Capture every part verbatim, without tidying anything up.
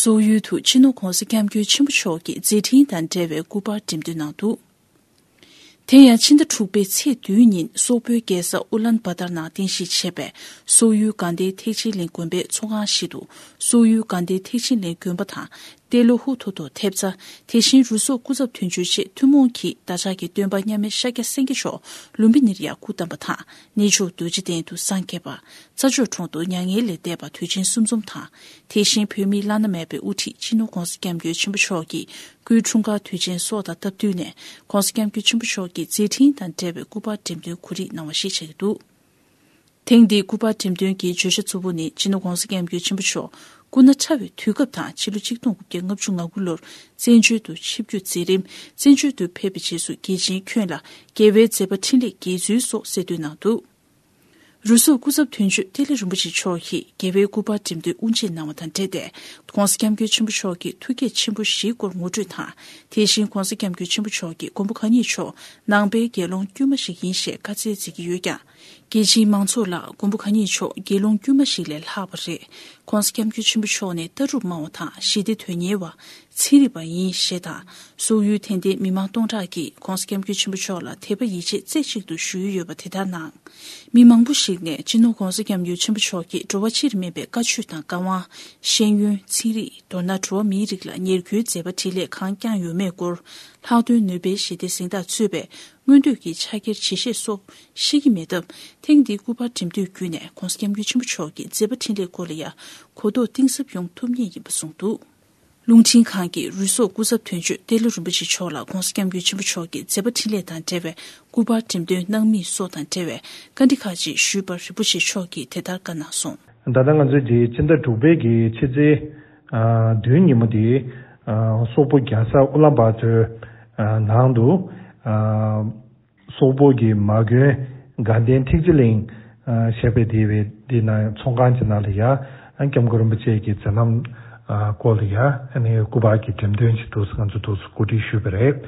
སོག་ཡུལ་དུ་སྤྱི་ནོར་༧གོང་ས་༧སྐྱབས་མགོན་ཆེན་པོ་མཆོག་གི་མཛད་འཕྲིན་དང་འབྲེལ་བའི་སྐུ་པར་འགྲེམས་སྟོན་གནང་འདུག་དེ་ཡང་ཕྱི་ཟླ་དྲུག་པའི་ཚེས་བདུན་ཉིན་སོག་པོའི་རྒྱལ་ས་ཨུ་ལན་བྷ་ཏར་ནང་རྟེན་གཞི་བྱས་པའི་སོག་ཡུལ་དགའ་ལྡན་ཐེག་ཆེན་གླིང་དགོན་པའི་ཚོགས་ཁང་ཞིག་ཏུ། སོག་ཡུལ་དགའ་ལྡན་ཐེག་ཆེན་གླིང་དགོན་པ་དང་། ཏེ་ལོ་ཧུ་ཐོ་ཐོ་ཐེབས་རྩ། དེ་བཞིན་རུ་སོག་སྐུ་ཚབ་དོན་གཅོད་ཆེད་ཐུན་མོང་གི་བདག་ཅག་གི་སྟོན་པ་མཉམ་མེད་ཤཱཀྱ་སེང་གེ་མཆོག་ལུམ་བི་ནི་རི་ཡར་སྐུ་བལྟམས་པ་དང་། གནས་མཆོག་རྡོ་རྗེ་གདན་དུ་སངས་རྒྱས་པ། རྩྭ་མཆོག་གྲོང་དུ་མྱ་ངན་ལས་འདས་པ་དུས་ཆེན་གསུམ་འཛོམས་དང་། དེ་བཞིན་བོད་མིའི་བླ་ན་མེད་པའི་དབུ་ཁྲིད་སྤྱི་ནོར་༧གོང་ས་༧སྐྱབས་མགོན་ཆེན་པོ་མཆོག་གི་སྐུའི་འཁྲུངས་སྐར་དུས་ཆེན་སོགས་དང་སྟབས་བསྟུན་ནས། ༧གོང་ས་༧སྐྱབས་མགོན་ཆེན་པོ་མཆོག་གི་མཛད་འཕྲིན་དང་འབྲེལ་བའི་སྐུ་པར་འགྲེམས་སྟོན་གོ་སྒྲིག་གནང་བ་ཞིག་ཆགས་ཀྱི་འདུག་ཐེངས་འདིའི་སྐུ་པར་འགྲེམས་སྟོན་གྱི་བརྗོད་བྱ་གཙོ་བོ་ནི། སྤྱི་ནོར་༧གོང་ས་༧སྐྱབས་མགོན་ཆེན་པོ་མཆོག་སྐུ་ན་ཕྲ་བའི་དུས་སྐབས་དང་། ཕྱི་ལོ་ཆིག་སྟོང་དགུ་བརྒྱ་ལྔ་བཅུ་ང་དགུ་ལོར་བཙན་བྱོལ་དུ་ཆིབས་བསྒྱུར་མཛད་རིང་། བཙན་བྱོལ་དུ་ཕེབས་པའི་རྗེས་སུ་རྒྱལ་ཆེན་ཁྱོན་ལ་རྒྱལ་བའི་མཛད་པ་འཕྲིན་ལས་དགེ་ཚུལ་སོགས་གསལ་སྟོན་གནང་འདུག་རུ་སོག་སྐུ་ཚབ་དོན་གཅོད་ཏེ་ལེ་རིན་པོ་ཆེ་མཆོག་གིས་རྒྱལ་བའི་སྐུ་པར་འགྲེམས་སྟོན་དབུ་འབྱེད་གནང་བ་དང་འབྲེལ་ཏེ། ༸གོང་ས་༸སྐྱབས་མགོན་ཆེན་པོ་མཆོག་གི་ཐུགས་བསྐྱེད་ཆེན་པོ་བཞིའི་སྐོར་ངོ་སྤྲོད་དང་། དེ་བཞིན་༸གོང་ས་༸སྐྱབས་མགོན་ཆེན་པོ་མཆོག་གིས་མགོན་པོ་གང་ཉིད་མཆོག་ནང་པའི་དགེ་སློང་དཀྱུས་མ་ཞིག་ཡིན་ཞེས་བཀའ་སྩལ་མཛད་ཀྱི་ཡོད་ཀྱང་། རྒྱལ་སྤྱིའི་མང་ཚོགས་ལ་མགོན་པོ་གང་ཉིད་མཆོག་དགེ་སློང་དཀྱུས་མ་ཞིག་ལས་ལྷག་པ་རེད། ༸གོང་ས་༸སྐྱབས་མགོན་ཆེན་པོ་མཆོག་ནི་ལྟ་གྲུབ་སྨྲ་བ་དང་ཞི་བདེ་དོན་གཉེར་བ། ཚན་རིག་པ་ཡིན་ཞེས་དང་། སོག་ཡུལ་དད་ལྡན་མི་མང་སྟོང་ཕྲག་གིས་༸གོང་ས་༸སྐྱབས་མགོན་ཆེན་པོ་མཆོག་ལ་དད་པ་ཡིད་ཆེས་རྩེ་གཅིག་ཏུ་ཞུས་ཡོད་པ་དེ་ལྟར་སྣང་། མི་མང་པོ་ཞིག་ནས་སྤྱི་ནོར་༸གོང་ས་༸སྐྱབས་མགོན་ཆེན་པོ་མཆོག་གིས་འགྲོ་བ་སྤྱིར་སྨན་པའི་བཀའ་ཆོས་དང་བཀའ་དབང་། ཤེས་ཡོན། ཚན་རིག་མདོར་ན་འགྲོ་བ་མིའི་རིགས་ལ་ཉེར་མཁོའི་མཛད་པ་འཕྲིན་ལས་གང་བསྐྱངས་ཡོད་མེད་སྐོར། ལྷག་དོན་ནོ་བེལ་ཞི་བདེའི་གཟེངས་རྟགས་གཙོས་པའི་མངོན་འདོད་ཀྱི་ཕྱག་འཁྱེར་ཇི་བཞེས་སོགས་ཤེས་ཀྱི་མེད་སྟབས། ཐེངས་འདིའི་སྐུ་པར་འགྲེམས་སྟོན་བརྒྱུད་ནས་༸གོང་ས་༸སྐྱབས་མགོན་ཆེན་པོ་མཆོག་གི་མཛད་པ་འཕྲིན་ལས་སྐོར་ལ་ཡང་གོ་རྟོགས་གཏིང་ཟབ་ཡོང་ཐུབ་ངེས་ཡིན་པ་གསུངས་འདུག་རླུང་འཕྲིན་ཁང་གིས་རུ་སོག་སྐུ་ཚབ་དོན་གཅོད་ཏེ་ལོ་རིན་པོ་ཆེ་མཆོག་ལ་༸གོང་ས་༸སྐྱབས་མགོན་ཆེན་པོ་མཆོག་གི་མཛད་པ་འཕྲིན་ལས་དང་འབྲེལ་བའི་སྐུ་པར་འགྲེམས་སྟོན་གནང་མིན་སོགས་དང་འབྲེལ་བའི་བཀའ་འདྲི་ཁག་ཅིག་ཞུས་པར་རིན་པོ་ཆེ་མཆོག་གིས་དེ་ལྟར་བཀའ་གནང་སོང་། ད་ལྟ་ང་ཚོས་ཀྱི་ཕྱི་ཟླ་དྲུག་པའི་གི་ཕྱི་ཚེས་ཨ་བདུན་ཉིན་མོ་དེ་ཨ་སོག་པོ་རྒྱལ་ས་ཨུ་ལམ་བྷ་ཏུར་ཨ་ནང་དུ་ཨ་སོག་པོ་གི་མ་དགོན་དགའ་ལྡན་ཐེག་ཆེན་གླིང་ཨ་ཞེས་པའི་དེ་བའི་དེ་ན་ཚོང་ཁང་གི་ནང་ལ་ཡ་ཨ་སྐྱབས་མགོན་རིན་པོ་ཆེ་གི་མཛད་རྣམ་ཨ་སྐོར་ལ་ཡ་ཨ་ནི་སྐུ་པར་གྱི་འགྲེམས་སྟོན་ཅིག་འདུག་ང་ཚོ་འདུག་གོ་སྒྲིག་ཞུས་པ་རེད།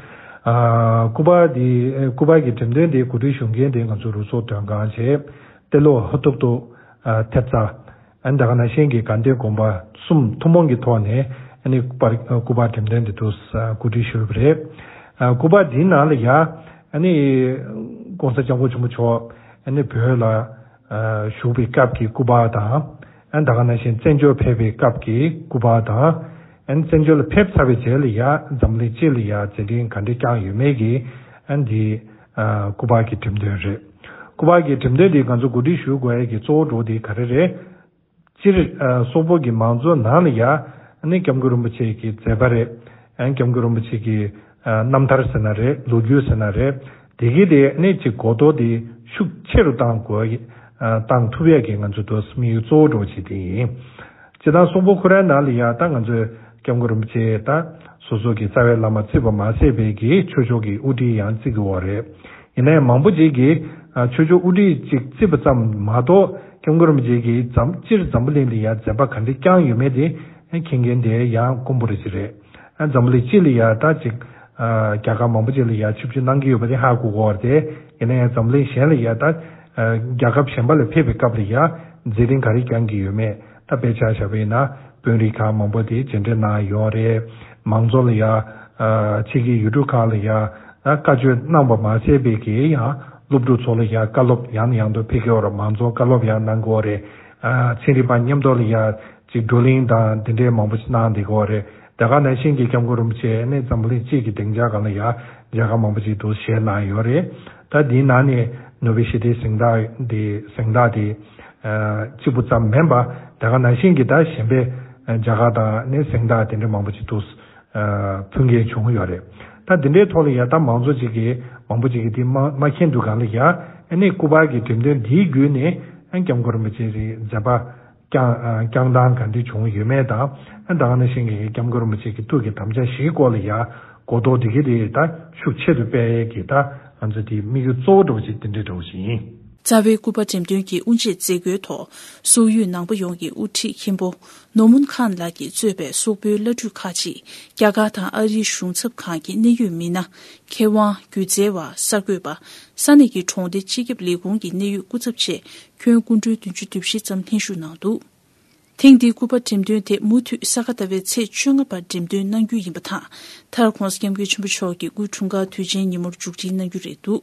ཨ་སྐུ་པར་དེ་སྐུ་པར་གྱི་འགྲེམས་སྟོན་དེ་གོ་སྒྲིག་ཞུ་མཁན་དེ་ང་ཚོ་རུ་སོག་མགོན་དགའ་ལྡན་ཏེ་ལོ་ཧུ་ཐུག་ཏུ་ཨ་ཐེབས་རྩ། ཨ་ནི་ད་ག་ནང་བཞིན་གྱི་དགའ་ལྡན་དགོན་པ་གསུམ་ཐུན་མོང་གི་ཐོག་ནས་ཨ་ནི་སྐུ་པར་སྐུ་པར་འགྲེམས་སྟོན་འདི་དུ་གོ་སྒྲིག་ཞུས་པ་རེད། ཨ་སྐུ་པར་འདིའི་ནང་ལ་ཡ་ཨ་ནི་༸གོང་ས་༸སྐྱབས་མགོན་ཆེན་པོ་མཆོག་ཨ་ནི་བོད་ལ་ཨ་བཞུགས་པའི་སྐབས་ཀྱི་སྐུ་པར་དང་། ཨ་ནི་ད་ག་ནང་བཞིན་བཙན་བྱོལ་ཕེབས་པའི་སྐབས་ཀྱི་སྐུ་པར་དང་། ཨ་ནི་བཙན་བྱོལ་ལ་ཕེབས་ཚར་བའི་རྗེས་ལ་ཡ་འཛམ་གླིང་སྤྱི་ལ་ཡ་མཛད་འཕྲིན་ག་འདྲ་བསྐྱངས་ཡོད་མེད་ཀྱི་ཨ་ནི་འདི་ཨ་སྐུ་པར་གྱི་འགྲེམས་སྟོན་རེད། སྐུ་པར་གྱི་འགྲེམས་སྟོན་འདི་ང་ཚོ་གོ་སྒྲིག་ཞུ་དགོས་ཡ་གི་གཙོ་བོ་འདྲ་བོ་དེ་ག་རེ་རེད། སྤྱིར་ཨ་སོག་པོ་གི་མང་གཙོ་ནང་ལ་ཡ་ཨ་ནི་སྐྱབས་མགོན་རིན་པོ་ཆེ་གི་མཛད་པ་རེད། ཨ་ནི་སྐྱབས་མགོན་རིན་པོ་ཆེ་གི་ཨ་རྣམ་ཐར་ཟེར་ན་རེད། ལོ་རྒྱུས་ཟེར་ན་རེད། དེ་གི་དེ་ཨ་ནི་ཅིག་གོ་རྟོགས་དེ་ཤུགས་ཆེ་རུ་བཏང་དགོས་ཨ་བཏང་ཐུབ་ཡ་གི་ང་ཚོ་དོ་དམིགས་ཡུལ་གཙོ་བོ་འདྲ་བོ་ཅིག་དེ་ཡིན། སྤྱིར་བཏང་སོག་པོ་ཁོ་རའི་ནང་ལ་ཡ་ད་ང་ཚོས་སྐྱབས་མགོན་རིན་པོ་ཆེ་ད་སོ་སོ་གི་རྩ་བའི་བླ་མ་བརྩིས་པ་མ་ཟད་པའི་གི་ཆོས་ཕྱོགས་ཀྱི་དབུ་ཁྲིད་ཡང་བརྩི་གི་ཡོད་རེད། ཡིན་ན་ཡང་མང་པོ་ཅིག་གིས་ཨ་ཆོས་ཕྱོགས་དབུ་ཁྲིད་ཅིག་བརྩིས་པ་ཙམ་མ་གཏོགས་སྐྱབས་མགོན་རིན་པོ་ཆེ་གིས་འཛམ་སྤྱིར་འཛམ་བུ་གླིང་ལ་ཡ་མཛད་པ་ག་འདྲ་བསྐྱངས་ཡོད་མེད་དེ་མཁྱེན་མཁན་དེ་ཡང་དཀོན་པོ་རེ་ཅིག་རེད། ཨ་འཛམ་བུ་གླིང་སྤྱི་ལ་ཡ་ད་ཅིག་ཨ་རྒྱལ་ཁབ་མང་པོ་ཅིག་ལ་ཡ་ཆིབས་བསྒྱུར་གནང་གི་ཡོད་པ་དེ་ཧ་གོ་གི་ཡོད་རེད་དེ། ཡིན་ན་ཡང་འཛམ་གླིང་གཞན་ལ་ཡ་ད་ཨ་རྒྱལ་ཁབ་གཞན་པ་ལ་ཕེབས་པའི་སྐབས་ལ་ཡ་མཛད་འཕྲིན་ག་རེ་བསྐྱངས་ཀྱི་ཡོད་མེད། ད་དཔེ་ཆ་བཞག་པ་ཡིན་ན་དཔོན་རིགས་ཁག་མང་པོ་དེ་མཇལ་འཕྲད་གནང་ཡོད་རེད། མང་གཙོ་ལ་ཡ་ཨ་ཕྱི་རྒྱལ་ཡུལ་གྲུ་ཁག་ལ་ཡ་ཨ་བཀའ་ཆོས་གནང་པ་མ་ཟད་པའི་གི་ཡང་སློབ་ཕྲུག་ཚོ་ལ་ཡ་བཀའ་སློབ་ཡང་ནས་ཡང་དུ་ཕེབས་ཀྱི་ཡོད་རེད། མང་གཙོ་བཀའ་སློབ་ཡང་གནང་གི་ཡོད་རེད། ཨ་ཚན་རིག་པ་མཉམ་དུ་ལ་ཡ་ཅིག་བགྲོ་གླེང་དང་འདི་འདྲའི་མང་པོ་ཞིག་གནང་བསྡད་ཀྱི་ཡོད་རེད། དེ་ག་ནང་བཞིན་གྱི་སྐྱབས་མགོན་རིན་པོ་ཆེ་ནི་འཛམ་བུ་གླིང་སྤྱི་གི་སྡིངས་ཆ་སྒང་ལ་ཡ་མཇལ་ཁ་མང་པོ་ཞིག་ཏུ་བཞེས་གནང་ཡོད་རེད། ད་འདིའི་ནང་ནས་ནོ་བེལ་ཞི་བདེའི་གཟེངས་རྟགས་འདི་གཟེངས་རྟགས་འདི་ཨ་གཅིག་པུ་ཙམ་མིན་པ་དེ་ག་ནང་བཞིན་གྱི་ད་གཞན་པའི་མཇལ་ཁ་དང་ནི་གཟེངས་རྟགས་དེ་འདྲ་མང་པོ་ཞིག་ཏུ་ཨ་ཕུལ་མཁན་བྱུང་ཡོད་རེད། ད་འདི་འདྲའི་ཐོག་ལ་ཡ་ད་མང་ཚོགས་ཅིག་གིས་མང་པོ་ཅིག་གིས་འདི་མ་མ་མཁྱེན་འདུག་ག་ལ་ཡ་ཨ་ནི་སྐུ་པར་གྱི་འགྲེམས་སྟོན་འདིའི་བརྒྱུད་ནས་ཨ་སྐྱབས་མགོན་རིན་པོ་ཆེ་གི་མཛད་པ་བསྐྱངས་ཨ་བསྐྱངས་སྟངས་ག་འདྲ་བྱུང་ཡོད་མེད་དང་། ཨ་ད་ག་ནང་བཞིན་གྱི་སྐྱབས་མགོན་རིན་པོ་ཆེ་གི་ཐུགས་ཀྱི་དམ་བཅའ་བཞིའི་སྐོར་ལ་ཡ་གོ་རྟོགས་འདི་གི་དེ་ད་ཤུགས་ཆེ་རུ་སྤེལ་ཡས་ཀྱི་ད་ང་ཚོ་དེ་དམིགས་ཡུལ་གཙོ་བོ་འདྲ་བོ་ཞིག་དེ་འདྲ་འདྲ་བོ་ཞིག་ཡིན། རྩ་བའི་སྐུ་པར་འགྲེམས་སྟོན་གྱི་དབུ་འབྱེད་མཛད་སྒོའི་ཐོག་སོག་ཡུལ་ནང་པ་ཡོངས་ཀྱི་དབུ་ཁྲིད་མཁན་པོ་ནོར་མོན་ཁཱན་ལགས་ཀྱིས་གཙོས་པའི་སོག་པོའི་བླ་སྤྲུལ་ཁག་ཅིག་རྒྱ་གར་དང་ཨ་རིའི་གཞུང་ཚབ་ཁང་གི་གནད་ཡོད་མི་སྣ། མཁས་དབང་། སྒྱུ་རྩལ་བ། གསར་འགོད་པ། ས་གནས་ཀྱི་གྲོང་སྡེ་སྤྱི་ཁྱབ་ལས་ཁུངས་ཀྱི་གནད་ཡོད་སྐུ་ཚབ་བཅས་ཁྱོན་སྐུ་མགྲོན་བདུན་ཅུ་དོན་བཞི་ཙམ་ལྷན་ཞུགས་གནང་འདུག་ཐེངས་འདིའི་སྐུ་པར་འགྲེམས་སྟོན་དེ་མུ་མཐུད་ས་ག་ཟླ་བའི་ཚེས་བཅོ་ལྔ་བར་འགྲེམས་སྟོན་གནང་རྒྱུ་ཡིན་པ་དང་། མཐར་༧གོང་ས་༧སྐྱབས་མགོན་ཆེན་པོ་མཆོག་གི་སྐུའི་འཁྲུངས་སྐར་དུས་ཆེན་ཉིན་མོར་མཇུག་སྒྲིལ་གནང་རྒྱུ་རེད་འདུག